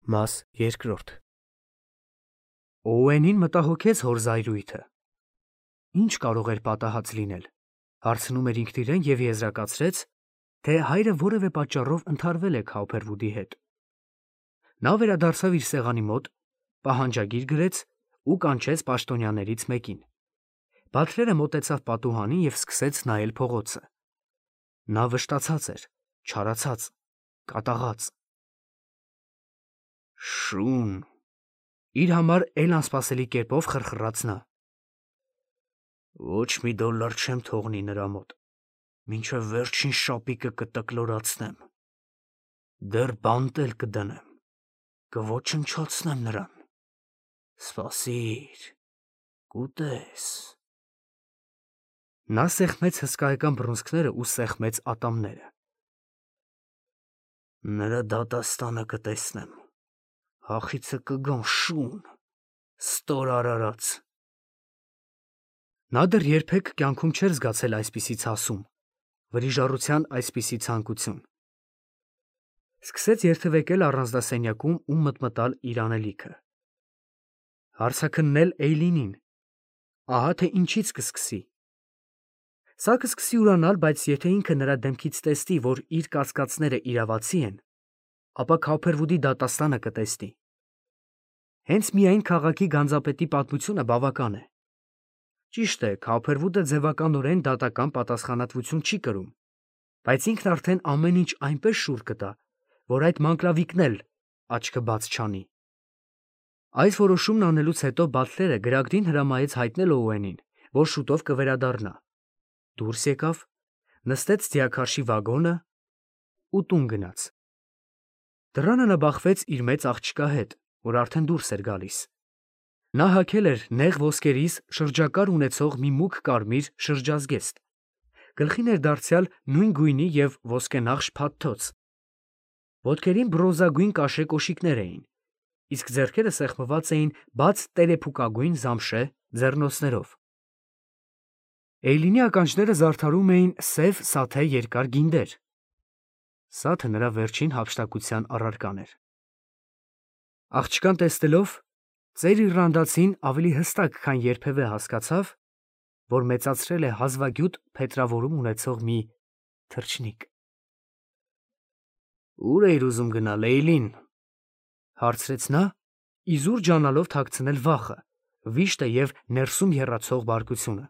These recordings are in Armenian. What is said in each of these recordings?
Մաս երկրորդ Օուենին մտահոգեց հոր զայրույթը։ Ինչ կարող էր պատահած լինել, հարցնում էր ինքն իրեն և եզրակացրեց, թե հայրը որևէ պատճառով ընդհարվել է Քաուփերվուդի հետ։ Նա վերադարձավ իր սեղանի մոտ, պահանջագիր գրեց ու կանչեց պաշտոնյաներից մեկին։ Բատլերը մոտեցավ պատուհանին և սկսեց նայել փողոցը։ Նա վշտացած էր, չարացած, կատաղած։ Շուն, իր համար էլ անսպասելի կերպով խրխռաց նա։ Ոչ մի դոլար չեմ թողնի նրա մոտ, մինչև վերջին շապիկը կտկլորացնեմ, դեռ բանտ էլ կդնեմ, կոչնչացնեմ նրան, սպասիր, կուտես։ Նա սեղմեց հսկայական բռունցքները ու սեղմեց ատամները։ Նրա դատաստանը կտեսնեմ, հախիցը կգամ շուն, ստոր արարած։ Նա դեռ երբեք կյանքում չէր զգացել այսպիսի ցասում, վրիժառության այսպիսի ցանկություն։ Սկսեց երթևեկել առանձնասենյակում ու մտմտալ իր անելիքը։ Հարցաքննել Էյլինին, ահա թե ինչից կսկսի։ Սա կսկսի ուրանալ, բայց եթե ինքը նրա դեմքից տեսնի, որ իր կասկածները իրավացի են, ապա Քաուփերվուդի դատաստանը կտեսնի։ Հենց միայն քաղաքի գանձապետի պատմությունը բավական է։ Ճիշտ է, Քաուփերվուդը ձևականորեն դատական պատասխանատվություն չի կրում, բայց ինքն արդեն ամեն ինչ այնպես շուռ կտա, որ այդ մանկլավիկն էլ աչքը բաց չանի։ Այս որոշումն անելուց հետո Բատլերը գրագդին հրամայեց հայտնել Օուենին, որ շուտով կվերադառնա։ Դուրս եկավ, նստեց ձիաքարշի վագոնը ու տուն գնաց։ Դռանը նա բախվեց իր մեծ աղջկա հետ, որ արդեն դուրս էր գալիս։ Նա հագել էր նեղ ոսկերից շրջակար ունեցող մի մուգ կարմիր շրջազգեստ, գլխին էր դարձյալ նույն գույնի և ոսկենախշ փաթթոց։ Ոտքերին բրոնզագույն կաշե կոշիկներ էին, իսկ ձեռքերը սեղմված էին բաց տերեփուկագույն զամշե ձեռնոցներով։ Էյլինի ականջները զարդարում էին սև սաթե երկար գինդեր։ Սաթը նրա վերջին հափշտակության առարկան էր։ Աղջկան տեսնելով, ծեր իռլանդացին ավելի հստակ, քան երբևէ հասկացավ, որ մեծացրել է հազվագյուտ փետրավորում ունեցող մի թռչնիկ։ Ո՞ւր էիր ուզում գնալ, Էյլին, հարցրեց նա, իզուր ջանալով թաքցնել վախը, վիշտը և ներսում եռացող բարկությունը։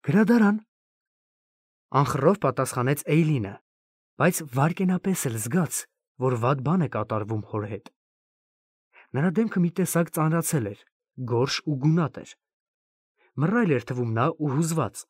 Գրադարան, անխռով պատասխանեց Էյլինը, բայց վայրկենապես էլ զգաց, որ վատ բան է կատարվում հոր հետ։ Նրա դեմքը մի տեսակ ծանրացել էր, գորշ ու գունատ էր։ Մռայլ էր թվում նա ու հուզված։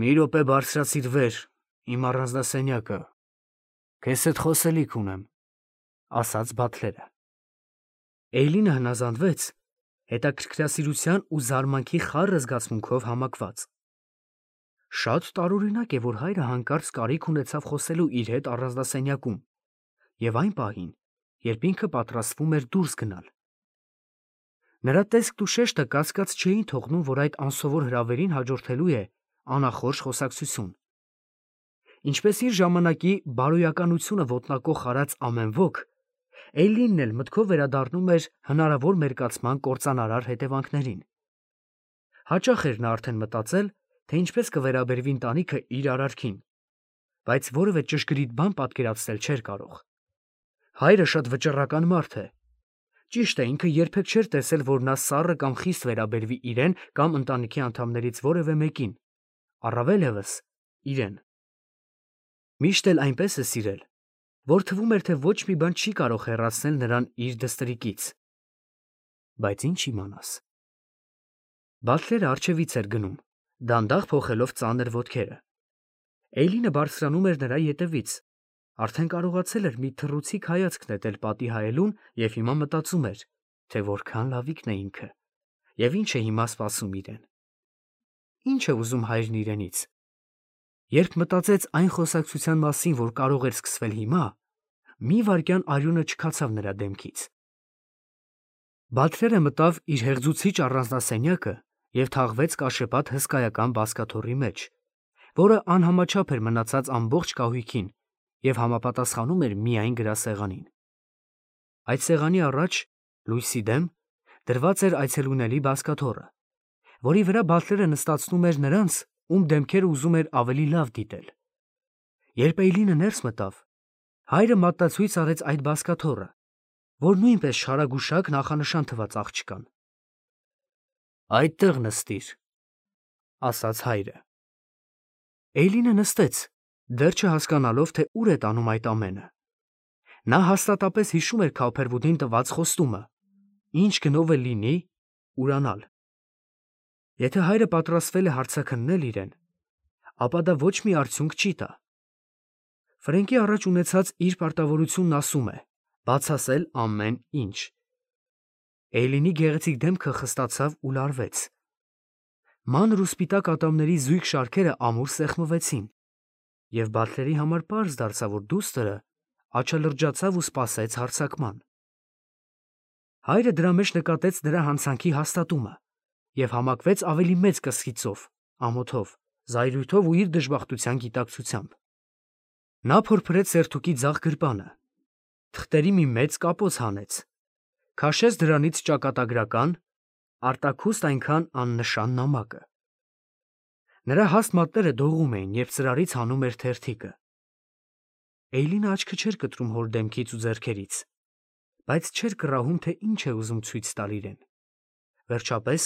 Մի րոպե բարձրացիր վեր, իմ առանձնասենյակը, քեզ հետ խոսելիք ունեմ, ասաց Բատլերը։ Էյլինը հնազանդվեց, հետաքրքրասիրության ու զարմանքի խառը զգացմունքով համակված։ Շատ տարօրինակ է, որ հայրը հանկարծ կարիք ունեցավ խոսելու իր հետ առանձնասենյակում և այն պահին, երբ ինքը պատրաստվում էր դուրս գնալ։ Նրա տեսքն ու շեշտը կասկած չէին թողնում, որ այդ անսովոր հրավերին հաջորդելու է անախորժ խոսակցություն։ Ինչպես իր ժամանակի բարոյականությունը ոտնակոխ արած ամեն ոք, Էյլինն էլ մտքով վերադառնում էր հնարավոր մերկացման կործանարար հետևանքներին։ Հաճախ էր նա արդեն մտածել, թե ինչպես կվերաբերվի ընտանիքը իր արարքին, բայց որևէ ճշգրիտ բան պատկերացնել չէր կարող։ Հայրը շատ վճռական մարդ է։ Ճիշտ է, ինքը երբեք չէր տեսել, որ նա սառը կամ խիստ վերաբերվի իրեն կամ ընտանիքի անդամներից որևէ մեկին, առավել ևս իրեն։ Միշտ էլ այնպես է սիրել, որ թվում էր, թե ոչ մի բան չի կարող հեռացնել նրան իր դստրիկից։ Բայց ինչ իմանաս։ Բատլերը առջևից էր գնում, դանդաղ փոխելով ծանր ոտքերը։ Էյլինը բարձրանում էր նրա ետևից, արդեն կարողացել էր մի թռուցիկ հայացք նետել պատի հայելուն և հիմա մտածում էր, թե որքան լավիկն է ինքը և ինչ է հիմա սպասում իրեն։ Ինչ է ուզում հայրն իրենից։ Երբ մտածեց այն խոսակցության մասին, որ կարող էր սկսվել հիմա, մի վայրկյան արյունը չքացավ նրա դեմքից։ Բատլերը մտավ իր հեղձուցիչ առանձնասենյակը և թաղվեց կաշեպատ հսկայական բազկաթոռի մեջ, որը անհամաչափ էր մնացած ամբողջ կահույքին և համապատասխանում էր միայն գրասեղանին։ Այդ սեղանի առաջ, լույսի դեմ, դրված էր այցելուների բազկաթոռը, որի վրա Բատլերը նստացնում էր նրանց, ում դեմքերը ուզում էր ավելի լավ դիտել։ Երբ Էյլինը ներս մտավ, հայրը մատնացույց արեց այդ բազկաթոռը, որ նույնպես շարագուշակ նախանշան թվաց աղջկան։ «Այդտեղ նստիր», ասաց հայրը։ Էյլինը նստեց, դեռ չհասկանալով, թե ուր է տանում այդ ամենը։ Նա հաստատապես հիշում էր Քոփերվուդին տված խոստումը, ինչ գնով էլ լինի, ուրանալ։ Եթե հայրը պատրաստվել է հարցաքննել իրեն, ապա դա ոչ մի արդյունք չի տա։ Ֆրենկի առաջ ունեցած իր պարտավորությունն ասում է բացասել ամեն ինչ։ Էյլինի գեղեցիկ դեմքը խստացավ ու լարվեց։ Մանր ու սպիտակ ատամների զույգ շարքերը ամուր սեղմվեցին, և Բատլերի համար պարզ դարձավ, որ դուստրը աչալրջացավ ու սպասեց հարձակման։ Հայրը դրա մեջ նկատեց նրա հանցանքի հաստատումը և համակվեց ավելի մեծ կսկիծով, ամոթով, զայրույթով ու իր դժբախտության գիտակցությամբ։ Նա փորփրեց սերթուկի ձախ գրպանը, թղթերի մի մեծ կապոց հանեց, քաշեց դրանից ճակատագրական, արտաքուստ այնքան աննշան նամակը։ Նրա հաստ մատները դողում էին, երբ ծրարից հանում էր թերթիկը։ Էյլինը աչքը չէր կտրում հոր դեմքից ու ձեռքերից, բայց չէր կռահում, թե ինչ է ուզում ցույց տալ իրեն։ Վերջապես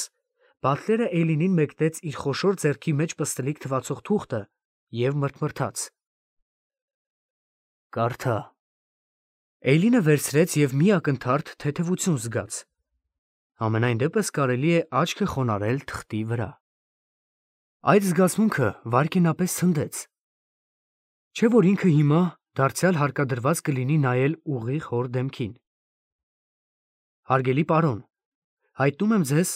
Բատլերը Էյլինին մեկնեց իր խոշոր ձեռքի մեջ պստլիկ թվացող թուղթը և մրթմրթաց. «Կարդա»։ Էյլինը վերցրեց և մի ակնթարթ թեթևություն զգաց։ Համենայն դեպս կարելի է աչքը խոնարհել թղթի վրա։ Այդ զգացմունքը վայրկենապես ցնդեց։ Չէ՞ որ ինքը հիմա դարձյալ հարկադրված կլինի նայել ուղիղ հոր դեմքին։ Հարգելի պարոն, հայտնում եմ ձեզ,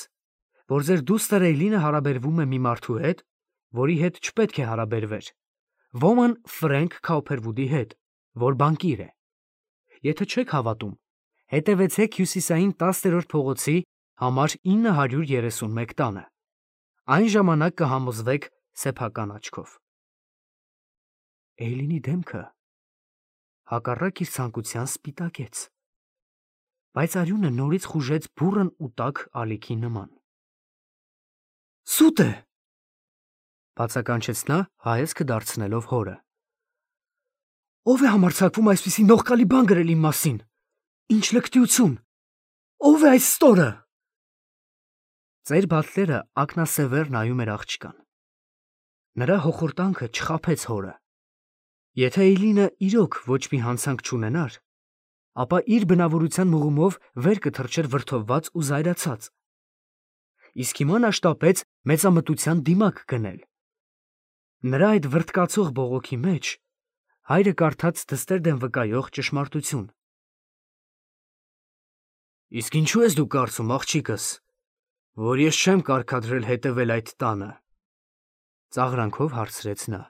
որ ձեր դուստր Էյլինը հարաբերվում է մի մարդու հետ, որի հետ չպետք է հարաբերվեր, ոմն Ֆրենկ Քոփերվուդի հետ, որ բանկիր է։ Եթե չեք հավատում, հետևեցեք հյուսիսային 10-րդ փողոցի համար 931 տանը։ Այն ժամանակ կհամոզվեք սեփական աչքով։ Էյլինի դեմքը հակառակ իր ցանկության սպիտակեց, բայց արյունը նորից խուժեց բուռն ու տաք ալիքի նման։ «Սուտ է», բացականչեց նա, հայացքը դարձնելով հորը։ «Ո՞վ է համարձակվում այսպիսի նողկալի բան գրել իմ մասին։ Ինչ լկտիություն։ Ո՞վ է այս ստորը»։ Ծեր Բատլերը ակնասևեռ նայում էր աղջկան։ Նրա հոխորտանքը չխաբեց հորը։ Եթե Էյլինը իրոք ոչ մի հանցանք չունենար, ապա իր բնավորության մղումով վեր կթռչեր վրդովված ու զայրացած։ Իսկ հիմա նա շտապեց մեծամտության դիմակ գնել։ Նրա այդ վրդկացող բողոքի մեջ հայրը կարդաց դստեր դեմ վկայող ճշմարտություն։ «Իսկ ինչու ես դու կարծում, աղջիկս, որ ես չեմ կարգադրել հետևել այդ տանը», ծաղրանքով հարցրեց նա։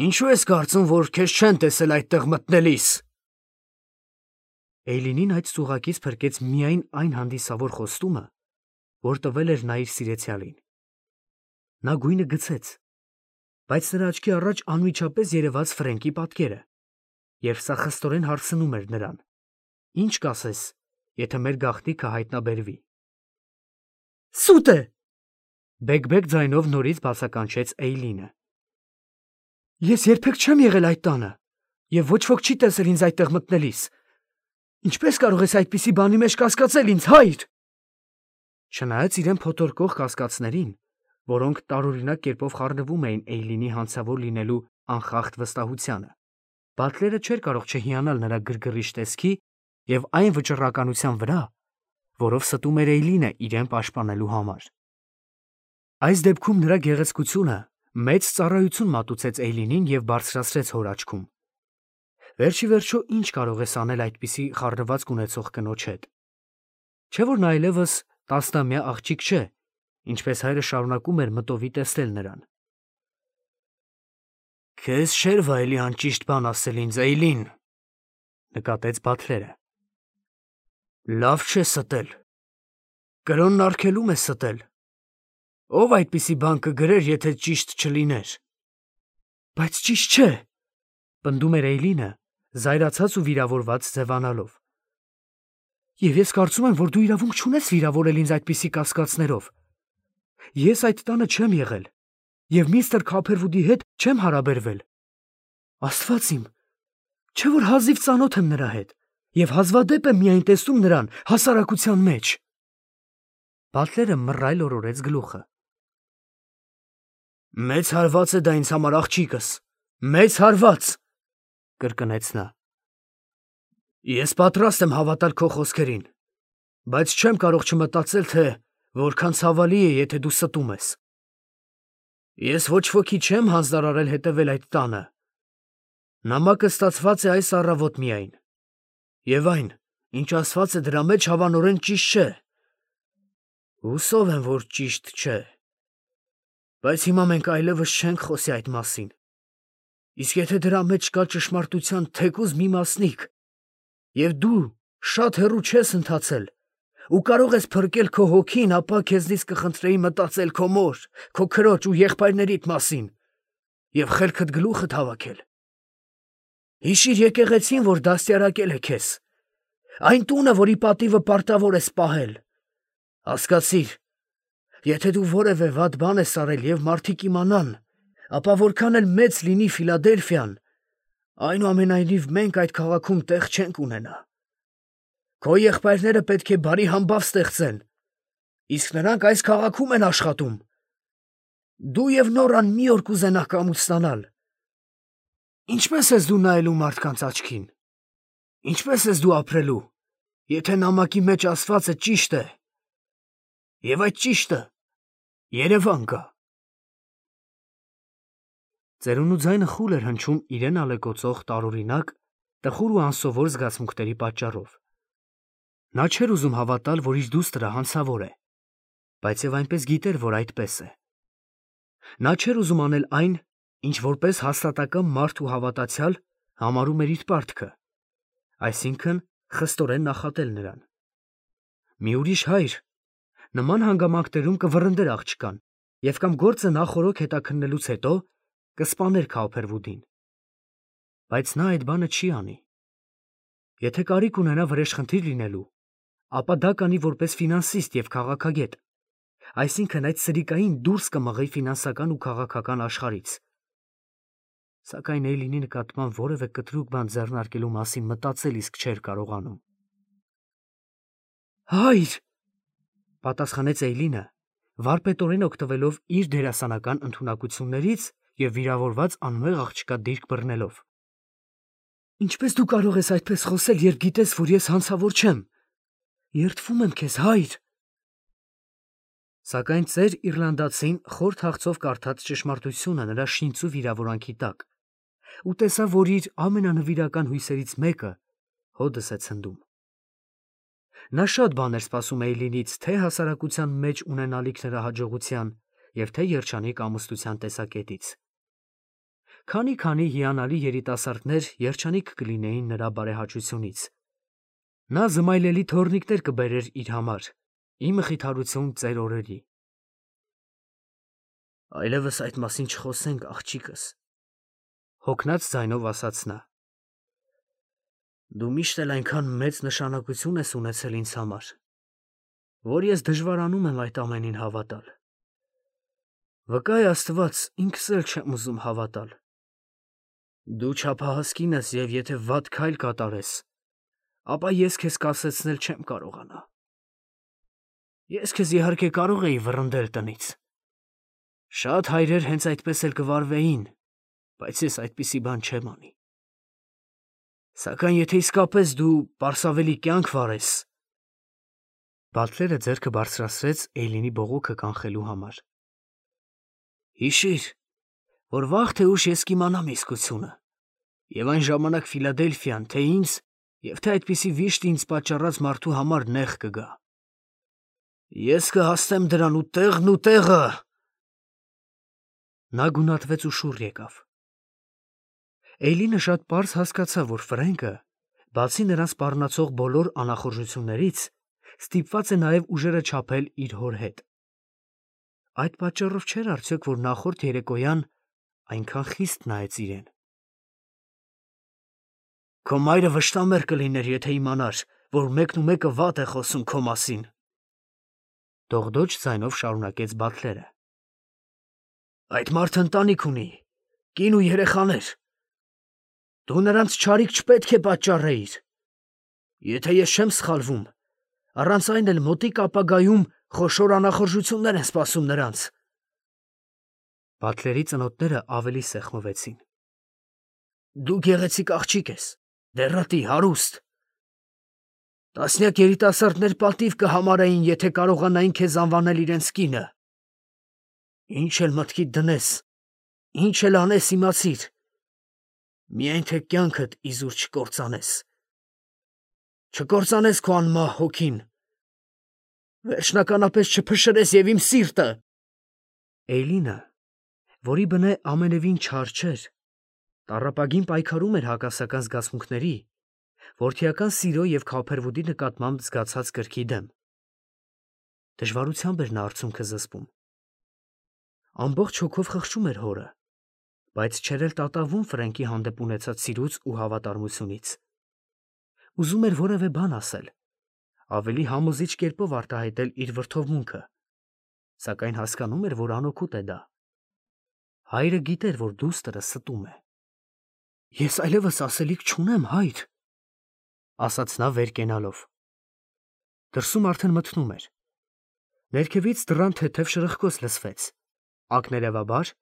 «Ինչու ես կարծում, որ քեզ չեն տեսել այդտեղ մտնելիս»։ Էյլինին այդ ծուղակից փրկեց միայն այն հանդիսավոր խոստումը, որ տվել էր նա իր սիրեցյալին։ Նա գույնը գցեց, բայց նրա աչքի առաջ անմիջապես երևաց Ֆրենկի պատկերը, և սա խստորեն հարցնում էր նրան. «Ինչ կասես, եթե մեր գաղտնիքը հայտնաբերվի»։ «Սուտ է», բեկ-բեկ ձայնով նորից բացականչեց Էյլինը։ «Ես երբեք չեմ եղել այդ տանը, և ոչ ոք չի տեսել ինձ այդտեղ մտնելիս։ Ինչպե՞ս կարող ես այդպիսի բանի մեջ կասկածել ինձ, հայր»։ Չնայած իրեն փոթորկող կասկածներին, որոնք տարօրինակ կերպով խառնվում էին Էյլինի հանցավոր լինելու անխախտ վստահությանը, Բատլերը չէր կարող չհիանալ նրա գրգռիչ տեսքի և այն վճռականության վրա, որով ստում էր Էյլինը իրեն պաշտպանելու համար։ Այս դեպքում նրա գեղեցկությունը մեծ ծառայություն մատուցեց Էյլինին և բարձրացրեց հոր աչքում։ Վերջ ի վերջո ինչ կարող ես անել այդպիսի խառնվածք ունեցող կնոջ հետ։ Չէ՞ որ նա այլևս 10-ամյա աղջիկ չէ, ինչպես հայրը շարունակում էր մտովի տեսնել նրան։ «Քեզ չէր վայելի անճիշտ բան ասել ինձ, Էյլին», նկատեց Բատլերը։ «Լավ չէ ստել։ Կրոնն արգելում է ստել։ Ո՞վ այդպիսի բան կգրեր, եթե ճիշտ չլիներ»։ «Բայց ճիշտ չէ», Պնդում էր Էյլինը, զայրացած ու վիրավորված ձևանալով։ Եվ ես կարծում եմ, որ դու իրավունք չունես վիրավորել ինձ այդպիսի կասկածներով։ Ես այդ տանը չեմ եղել և միստր Քոփերվուդի հետ չեմ հարաբերվել։ Աստված իմ, չէ՞ որ հազիվ ծանոթ եմ նրա հետ և հազվադեպ եմ միայն տեսնում նրան հասարակության մեջ։ Բատլերը մռայլ օրորեց գլուխը։ Մեծ հարված է դա ինձ համար, աղջիկս, մեծ հարված, կրկնեց նա։ Ես պատրաստ եմ հավատալ քո խոսքերին, բայց չեմ կարող չմտածել, թե որքան ցավալի է, եթե դու ստում ես։ Ես ոչ ոքի չեմ հանձնարարել հետևել այդ տանը։ Նամակը ստացված է այս առավոտ միայն, և այն, ինչ ասված է դրա մեջ, հավանորեն ճիշտ չէ։ Հուսով եմ, որ ճիշտ չէ, բայց հիմա մենք այլևս չենք խոսի այդ մասին։ Իսկ եթե դրա մեջ կա ճշմարտության թեկուզ մի մասնիկ, և դու շատ հեռու չես ընթացել ու կարող ես փրկել քո հոգին, ապա քեզնից կխնդրեի մտածել քո մոր, քո քրոջ ու եղբայրներիդ մասին և խելքդ գլուխդ հավաքել։ Հիշիր եկեղեցին, որ դաստիարակել է քեզ, այն տունը, որի պատիվը պարտավոր ես պահել։ Հասկացիր, եթե դու որևէ վատ բան ես արել և մարդիկ իմանան, ապա որքան էլ մեծ լինի Ֆիլադելֆիան, այնուամենայնիվ մենք այդ քաղաքում տեղ չենք ունենա։ Քո եղբայրները պետք է բարի համբավ ստեղծեն, իսկ նրանք այս քաղաքում են աշխատում։ Դու և Նորան մի օր կուզենաք կամուց ստանալ։ Ինչպե՞ս ես դու նայելու մարդկանց աչքին։ Ինչպե՞ս ես դու ապրելու, եթե նամակի մեջ ասվածը ճիշտ է, և այդ ճիշտը Երևան գա։ Ծերունու ձայնը խուլ էր հնչում իրեն ալեկոծող տարօրինակ, տխուր ու անսովոր զգացմունքների պատճառով։ Նա չէր ուզում հավատալ, որ իր դուստրը հանցավոր է, բայց և այնպես գիտեր, որ այդպես է։ Նա չէր ուզում անել այն, ինչ որպես հաստատակամ մարդ ու հավատացյալ համարում էր իր պարտքը, այսինքն խստորեն նախատել նրան։ Մի ուրիշ հայր նման հանգամանքներում կվռնդեր աղջկան և կամ գործը նախօրոք հետաքննելուց հետո կսպաներ Քոփերվուդին։ Բայց նա այդ բանը չի անի։ Եթե կարիք ունենա վրեժխնդիր լինելու, ապա դա կանի որպես ֆինանսիստ և քաղաքագետ, այսինքն այդ սրիկային դուրս կմղի ֆինանսական ու քաղաքական աշխարհից։ Սակայն Էյլինի նկատմամբ որևէ կտրուկ բան ձեռնարկելու մասին մտածել իսկ չէր կարողանում։ Հայր, պատասխանեց Էյլինը, վարպետորեն օգտվելով իր դերասանական ընդունակություններից և վիրավորված անմեղ աղջկա դիրք բռնելով։ Ինչպես դու կարող ես այդպես խոսել, երբ գիտես, որ ես հանցավոր չեմ։ Երդվում եմ քեզ, հայր։ Սակայն ծեր Իռլանդացին խոր թախծով կարդաց ճշմարտությունը նրա շինծու վիրավորանքի տակ ու տեսավ, որ իր ամենանվիրական հույսերից մեկը հօդս է ցնդում։ Նա շատ բան էր սպասում Էյլինից թե հասարակության մեջ ունենալիք նրա հաջողության և թե երջանիկ ամուսնության տեսակետից։ Քանի հիանալի երիտասարդներ երջանիկ կլինեին նրա բարեհաճությունից։ Նա զմայլելի թոռնիկներ կբերեր իր համար, ի մխիթարություն ծեր օրերի։ Այլևս այդ մասին չխոսենք, աղջիկս, հոգնած ձայնով ասաց նա։ Դու միշտ էլ այնքան մեծ նշանակություն ես ունեցել ինձ համար, որ ես դժվարանում եմ այդ ամենին հավատալ։ Վկա է Աստված, ինքս էլ չեմ ուզում հավատալ։ Դու չափահաս կին ես և եթե վատ քայլ կատարես, ապա ես քեզ կասեցնել չեմ կարողանա։ Ես քեզ իհարկե կարող էի վռնդել տնից։ Շատ հայրեր հենց այդպես էլ կվարվեին, բայց ես այդպիսի բան չեմ անի։ Սակայն եթե իսկապես դու պարսավելի կյանք վարես… Բատլերը ձեռքը բարձրացրեց Էյլինի բողոքը կանխելու համար։ Հիշիր, որ վաղ թե ուշ ես կիմանամ իսկությունը, և այն ժամանակ Ֆիլադելֆիան թե ինձ և թե այդպիսի վիշտ ինձ պատճառած մարդու համար նեղ կգա։ Ես կհասնեմ դրան ու տեղը… Նա գունատվեց ու շուռ եկավ։ Էյլինը շատ պարզ հասկացավ, որ Ֆրենկը, բացի նրան սպառնացող բոլոր անախորժություններից, ստիպված է նաև ուժերը չափել իր հոր հետ։ Այդ պատճառով չէր արդյոք, որ նախորդ երեկոյան այնքան խիստ նայեց իրեն։ Քո մայրը վշտամեր կլիներ, եթե իմանար, որ մեկն ու մեկը վատ է խոսում քո մասին։ Դողդոջ ձայնով շարունակեց Բաթլերը։ Այդ մարդը ընտանիք ունի, կին ու երեխաներ։ Դու նրանց չարիք չպետք է պատճառեիր։ Եթե ես չեմ սխալվում, առանց այն էլ մոտիկ ապագայում խոշոր անախորժություններ են սպասում նրանց։ Բաթլերի ծնոտները ավելի սեղմվեցին։ Դու գեղեցիկ աղջիկ ես, դեռատի, հարուստ։ Տասնյակ երիտասարդներ պատիվ կհամարեին, եթե կարողանային քեզ անվանել իրենց կինը։ Ինչ էլ մտքիդ դնես, ինչ էլ անես, իմացիր, միայն թե կյանքդ իզուր չկործանես։ Չկործանես քո անմահ հոգին, վերջնականապես չփշրես և իմ սիրտը։ Էյլինը, որի բնե ամենևին չար չէր, տառապագին պայքարում էր հակասական զգացմունքների, որդիական սիրո և քավփերվուտի նկատմամբ զգացած կրքի դեմ։ Դժվարությամբ էր նա արցունքը զսպում։ Ամբողջ հոգով խղճում էր հորը, բայց չէր էլ տատանվում Ֆրենկի հանդեպ ունեցած սիրուց ու հավատարմությունից։ Ուզում էր որևէ բան ասել, ավելի համոզիչ կերպով արտահայտել իր վրդովմունքը, սակայն հասկանում էր, որ անօգուտ է դա։ Հայրը գիտեր, որ դուստրը ստում է։ Ես այլևս ասելիք չունեմ, հայր, ասաց նա վեր կենալով։ Դրսում արդեն մթնում էր։ Ներքևից դռան թեթև շրխկոց լսվեց, ակներևաբար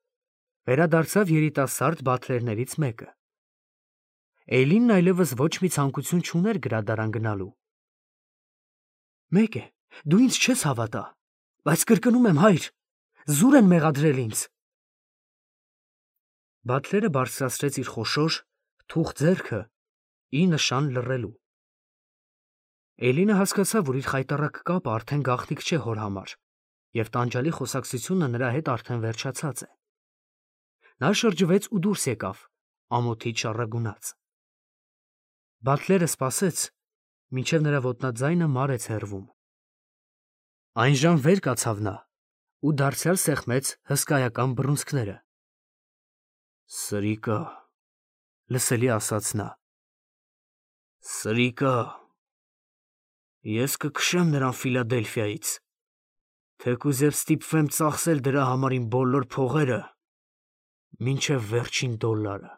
վերադարձավ երիտասարդ բաթլերներից մեկը։ Էյլինն այլևս ոչ մի ցանկություն չուներ գրադարան գնալու։ Մեկ է, դու ինձ չես հավատա, բայց կրկնում եմ, հայր, զուր են մեղադրել ինձ։ Բաթլերը բարձրացրեց իր խոշոր, թուխ ձեռքը ի նշան լռելու։ Էյլինը հասկացավ, որ իր խայտառակ կապը արդեն գաղտնիք չէ հոր համար, և տանջալի խոսակցությունը նրա հետ արդեն վերջացած է։ Նա շրջվեց ու դուրս եկավ, ամոթից շառագունած։ Բաթլերը սպասեց, մինչև նրա ոտնաձայնը մարեց հեռվում։ Այնժամ վեր կացավ նա ու դարձյալ սեղմեց հսկայական բռունցքները։ Սրիկա, լսելի ասաց նա։ Սրիկա, ես կքշեմ նրան Ֆիլադելֆիայից, թեկուզ և ստիպվեմ ծախսել դրա համար իմ բոլոր փողերը, մինչև վերջին դոլարը։